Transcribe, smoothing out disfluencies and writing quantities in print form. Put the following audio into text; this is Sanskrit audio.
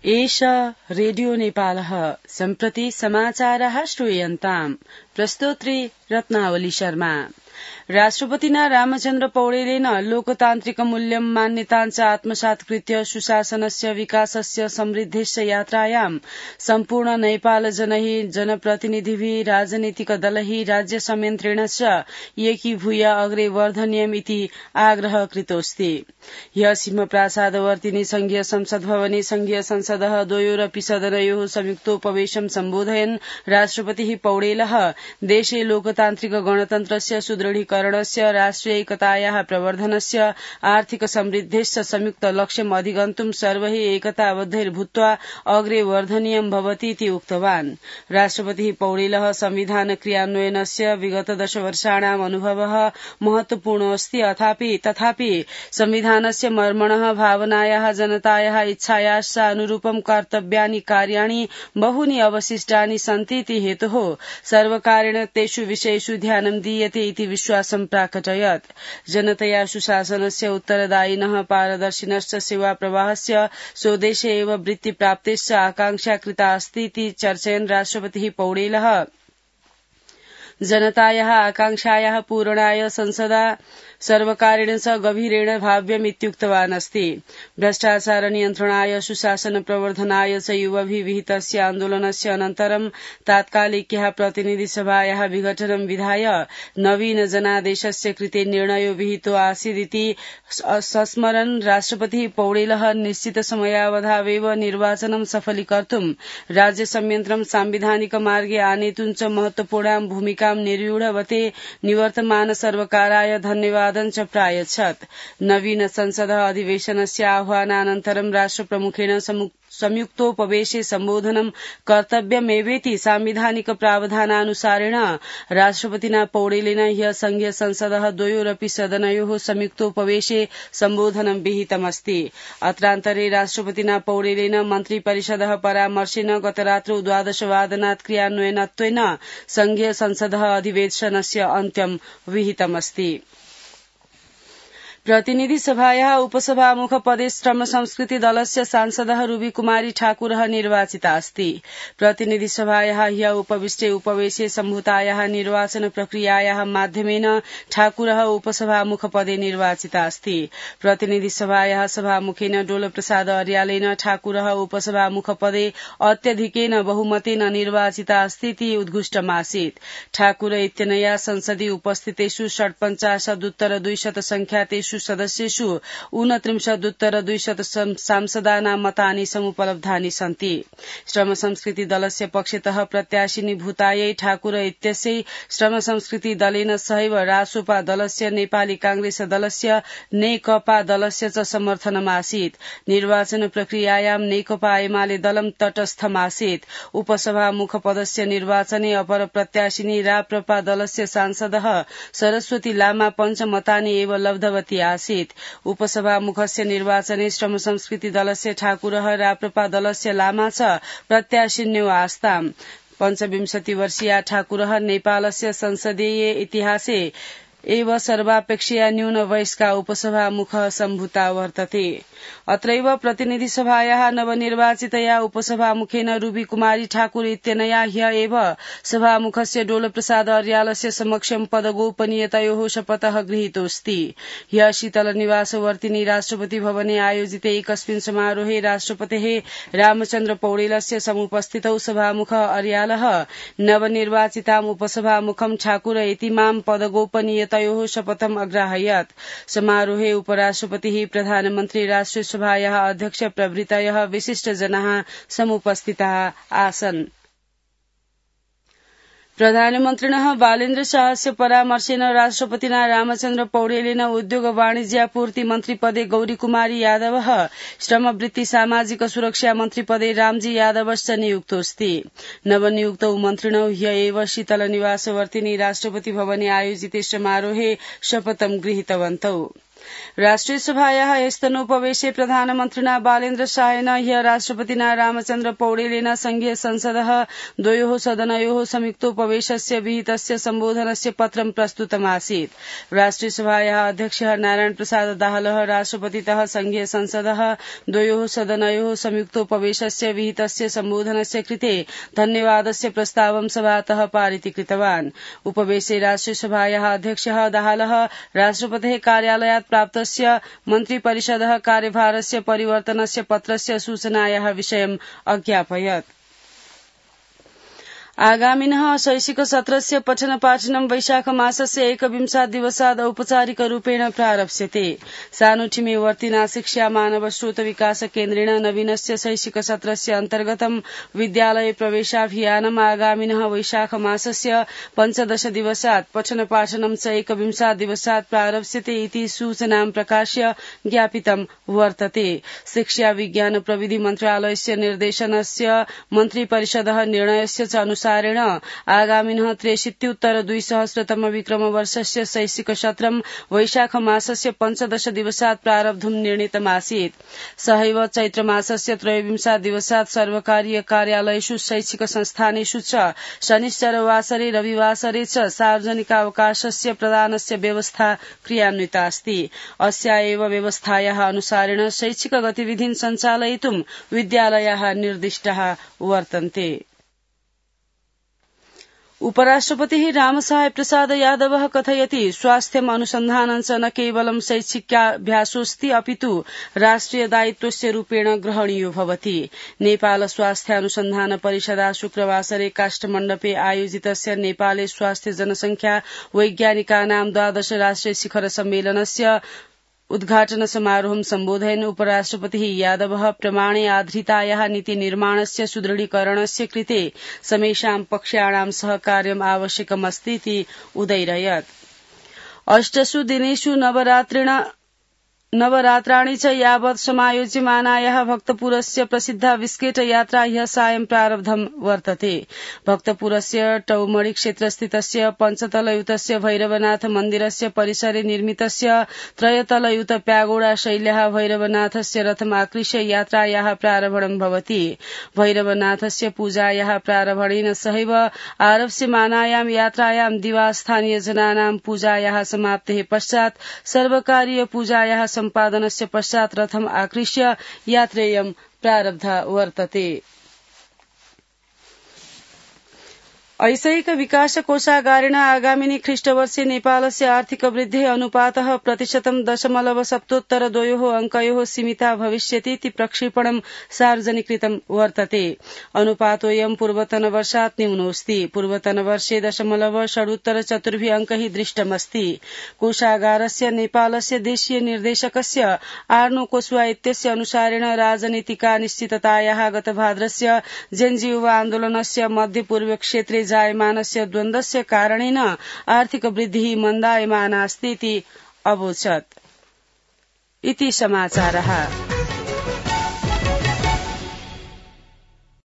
एष रेडियो नेपालः सम्प्रति समाचारः श्रूयन्ताम् प्रस्तोत्री रत्नावली शर्मा। राष्ट्रपतिना रामचन्द्र पौडेलेन लोकतान्त्रिक मूल्यं मान्यताञ्च आत्मसात्कृत्य सुशासनस्य विकासस्य समृद्धस्य यात्रायां सम्पूर्ण नेपाल जनैः जनप्रतिनिधिभिः राजनीतिक दलैः राज्य संयन्त्रेणश्च एकीभूय अग्रे वर्धनीयमिति आग्रह कृतोऽस्ति। ह्य सिंहप्रासादवर्तिनि संघीय संसद भवने संघीय संसदः द्वयोरपि सदनयोः संयुक्तोपवेशं सम्बोधयन् राष्ट्रपतिः पौडेलः देशे लोकतान्त्रिक गणतन्त्रस्य सुदृढीकरणस्य राष्ट्रियैकतायाः प्रवर्धनस्य आर्थिक समृद्धेश्च संयुक्त लक्ष्यम् अधिगन्तुं सर्वैः एकताबद्धैर्भूत्वा अग्रे वर्धनीयं भवतीति उक्तवान्। राष्ट्रपतिः पौडेलः संविधान क्रियान्वयनस्य विगत 10 वर्षाणाम् अनुभवः महत्वपूर्ण अस्ति तथापि संविधानस्य मर्मणः भावनायाः जनतायाः इच्छायाश्च अनुरूपं कर्तव्यानि कार्याणि बहूनि अवशिष्टानि सन्तीति हेतुः सर्वकारेण तेषु विषयेषु ध्यानं दीयते इति विश्वासं प्राकटयत्। जनतया सुशासनस्य उत्तरदायिनः पारदर्शिनश्च सेवाप्रवाहस्य स्वदेशे एव वृत्तिप्राप्तेश्च आकांक्षा कृता अस्ति इति चर्चयन् राष्ट्रपतिः पौडेलः जनतायाः आकांक्षायाः पूरणाय संसदा सर्वकारेण च गभीरेण भाव्यमित्युक्तवान् अस्ति। भ्रष्टाचार नियन्त्रणाय सुशासन प्रवर्धनाय च युवभिः विहितस्य आन्दोलनस्य अनन्तरं तात्कालिक्याः प्रतिनिधिसभायाः विघटनं विधाय नवीन जनादेशस्य कृते निर्णयो विहितो आसीदिति संस्मरन् राष्ट्रपतिः पौडेलः निश्चित समयावधावेव निर्वाचनं सफलीकर्तुं राज्य संयन्त्रं सांविधानिक मार्गे आनेतुं च महत्वपूर्णां भूमिकां निर्व्यूढवते निवर्तमान सर्वकाराय धन्यवादं च प्रायच्छत्। नवीन संसद अधिवेशनस्य आह्वानानन्तरं राष्ट्रप्रमुखेण संयुक्तोपवेशे सम्बोधनं कर्तव्यमेवेति सांविधानिक प्रावधानानुसारेण राष्ट्रपतिना पौडेलेन ह्य संघीय संसदः द्वयोरपि सदनयोः संयुक्तोपवेशे सम्बोधनं विहितमस्ति। अत्रान्तरे राष्ट्रपतिना पौडेलेन मन्त्रिपरिषदः परामर्शेन गतरात्रौ 12 वादनात् क्रियान्वयनत्वेन संघीय संसदः अधिवेशनस्य अन्त्यं विहितमस्ति। प्रतिनिधि सभायाः उपसभामुख पदे श्रम संस्कृति दलस्य सांसदः रूबी कुमारी ठाकुरः निर्वाचिता अस्ति। प्रतिनिधि सभायाः ह्य उपविष्टे उपवेशे सम्भूतायाः निर्वाचन प्रक्रियायाः माध्यमेन ठाकुरः उपसभामुख पदे निर्वाचिता अस्ति। प्रतिनिधि सभायाः सभामुखेन डोलप्रसाद अर्यालेन ठाकुरः उपसभामुख पदे अत्यधिकेन बहुमतेन निर्वाचिता अस्तीति उद्घुष्टमासीत्। ठाकुर इत्यनया संसदि उपस्थितेषु 47 संख्यातेषु सदस्येषु 29 सांसदानां मतानि समुपलब्धानि सन्ति। श्रम संस्कृति दलस्य पक्षतः प्रत्याशिनी भूतायै ठाकुर इत्यस्यै श्रम संस्कृति दलेन सहैव रासोपा दलस्य नेपाली कांग्रेस दलस्य नेकपा दलस्य च समर्थनमासीत्। निर्वाचन प्रक्रियायां नेकपा एमाले दलं तटस्थमासीत्। उपसभामुख पदस्य निर्वाचने अपर प्रत्याशिनी राप्रपा दलस्य सांसदः सरस्वती लामा पञ्चमतानि एव लब्धवती आसीत्। उपसभामुखस्य निर्वाचने श्रम संस्कृति दलस्य ठाकुरः राप्रपा दलस्य लामा च प्रत्याशिन्यो आस्ताम्। 25 वर्षीया ठाकुरः नेपालस्य संसदीय इतिहासे एव सर्वापेक्षया न्यून वयस्का उपसभामुखः सम्भूता वर्तते। अत्रैव प्रतिनिधि सभायाः नवनिर्वाचितया उपसभामुखेन रूबी कुमारी ठाकुर इत्यनया ह्य एव सभामुखस्य डोलप्रसाद अर्यालस्य समक्षं पदगोपनीयतयोः शपथः गृहीतोऽस्ति। ह्य शीतलनिवासवर्तिनि राष्ट्रपति भवने आयोजिते एकस्मिन् समारोहे राष्ट्रपतेः रामचन्द्र पौडेलस्य समुपस्थितौ सभामुखः अर्यालः नवनिर्वाचिताम् उपसभामुखं ठाकुर इतीमां पदगोपनीयतयोः शपथम् अग्राहयत्। समारोहे उपराष्ट्रपतिः प्रधानमन्त्री राष्ट्रिय सभायाः अध्यक्ष प्रभृतयः विशिष्टजनाः समुपस्थिताः आसन्। प्रधानमन्त्रिणः बालेन्द्र शाहस्य परामर्शेन राष्ट्रपतिना रामचन्द्र पौडेलेन उद्योग वाणिज्यापूर्ति मन्त्रिपदे गौरीकुमारी यादवः श्रमवृत्ति सामाजिक सुरक्षा मन्त्रिपदे रामजी यादवश्च नियुक्तोऽस्ति। नवनियुक्तौ मन्त्रिणौ ह्य एव शीतलनिवासवर्तिनि राष्ट्रपति भवने आयोजिते समारोहे शपथं गृहीतवन्तौ। राष्ट्रिय सभायाः स्तनोपवेशे प्रधानमन्त्रिणा बालेन्द्र शाहेन ह्य राष्ट्रपतिना रामचन्द्र पौडेलेन संघीय संसदः द्वयोः सदनयोः संयुक्तोपवेशस्य विहितस्य सम्बोधनस्य पत्रं प्रस्तुतमासीत्। राष्ट्रिय सभायाः अध्यक्षः नारायण प्रसाद दाहालः राष्ट्रपतितः संघीय संसदः द्वयोः सदनयोः संयुक्तोपवेशस्य विहितस्य सम्बोधनस्य कृते धन्यवादस्य प्रस्तावं सभातः पारितीकृतवान्। उपवेशे राष्ट्रिय सभायाः अध्यक्षः दाहालः राष्ट्रपतेः कार्यालयात् प्राप्तस्य मन्त्रिपरिषदः कार्यभारस्य परिवर्तनस्य पत्रस्य सूचनायाः विषयम् अज्ञापयत्। आगामिनः शैक्षिक सत्रस्य पठन पाठनं वैशाख मासस्य 21 दिवसात् औपचारिकरूपेण प्रारप्स्यते। सानुठिमे वर्तिना शिक्षा मानव स्रोत विकास केन्द्रेण नवीनस्य शैक्षिक सत्रस्य अन्तर्गतं विद्यालय प्रवेशाभियानम् आगामिनः वैशाख मासस्य 15 दिवसात् पठन पाठनं च 21 दिवसात् प्रारप्स्यते इति सूचनां प्रकाश्य ज्ञापितं वर्तते। शिक्षा विज्ञान प्रविधि मन्त्रालयस्य निर्देशनस्य मन्त्रिपरिषदः निर्णयस्य च अनुसारेण आगामिनः 63-2000 विक्रमवर्षस्य शैक्षिक सत्रं वैशाख मासस्य 15 दिवसात् प्रारब्धुं निर्णीतमासीत्। सहैव चैत्र मासस्य 23 दिवसात् सर्वकारीय कार्यालयेषु शैक्षिक संस्थानेषु च शनिश्चरवासरे रविवासरे च सार्वजनिकावकाशस्य प्रदानस्य व्यवस्था क्रियान्विता अस्ति। अस्या एव व्यवस्थायाः अनुसारेण शैक्षिक गतिविधीन् सञ्चालयितुं विद्यालयाः निर्दिष्टाः वर्तन्ते। उपराष्ट्रपतिः रामसहाय प्रसाद यादवः कथयति स्वास्थ्यम् अनुसन्धानं च न केवलं शैक्षिकाभ्यासोऽस्ति अपितु राष्ट्रिय दायित्वस्य रूपेण ग्रहणीयो भवति। नेपाल स्वास्थ्यानुसन्धान परिषदा शुक्रवासरे काष्ठमण्डपे आयोजितस्य नेपाले स्वास्थ्य जनसंख्या वैज्ञानिकानां 12 राष्ट्रिय शिखर सम्मेलनस्य उद्घाटन समारोहं सम्बोधयन् उपराष्ट्रपतिः यादवः प्रमाणे आधारितायाः नीति निर्माणस्य सुदृढीकरणस्य कृते समेषां पक्षाणां सहकार्यम् आवश्यकमस्ति इति उदैरयत्। 8 दिनेषु नवरात्राणि च यावत् समायोज्यमानायाः भक्तपुरस्य प्रसिद्धा विस्केट यात्रा ह्यः सायं प्रारब्धं वर्तते। भक्तपुरस्य टौमडी क्षेत्रस्थितस्य पञ्चतलयुतस्य भैरवनाथ मन्दिरस्य परिसरे निर्मितस्य त्रयतलयुत प्यागोडा शैल्याः भैरवनाथस्य रथमाकृष्य यात्रायाः प्रारम्भं भवति। भैरवनाथस्य पूजायाः प्रारम्भेन सहैव आरप्स्यमानायां यात्रायां दिवा स्थानीय जनानां पूजायाः समाप्तेः पश्चात् सर्वकारीय पूजायाः सम्पादनस्य पश्चात् रथम् आकृष्य यात्रेयं प्रारब्धा वर्तते। ऐसैक विकास कोषागारेण आगामिनि ख्रीष्टवर्षे नेपालस्य आर्थिक वृद्धिः अनुपातः 0.7% अङ्कयोः सीमिता भविष्यति इति प्रक्षेपणं सार्वजनिकृतं वर्तते। अनुपातोऽयं पूर्वतनवर्षात् न्यूनोऽस्ति। पूर्वतनवर्षे 0.4 अङ्कैः दृष्टमस्ति। कोषागारस्य नेपालस्य देशीय निर्देशकस्य आर्नो कोस्वा इत्यस्य अनुसारेण राजनीतिकानिश्चिततायाः गतभाद्रस्य जेनजी युवा आन्दोलनस्य मध्यपूर्व क्षेत्रे जायमानस्य द्वन्द्वस्य कारणेन आर्थिक वृद्धिः मन्दायमाना अस्ति इति अवोचत्। इति समाचारः।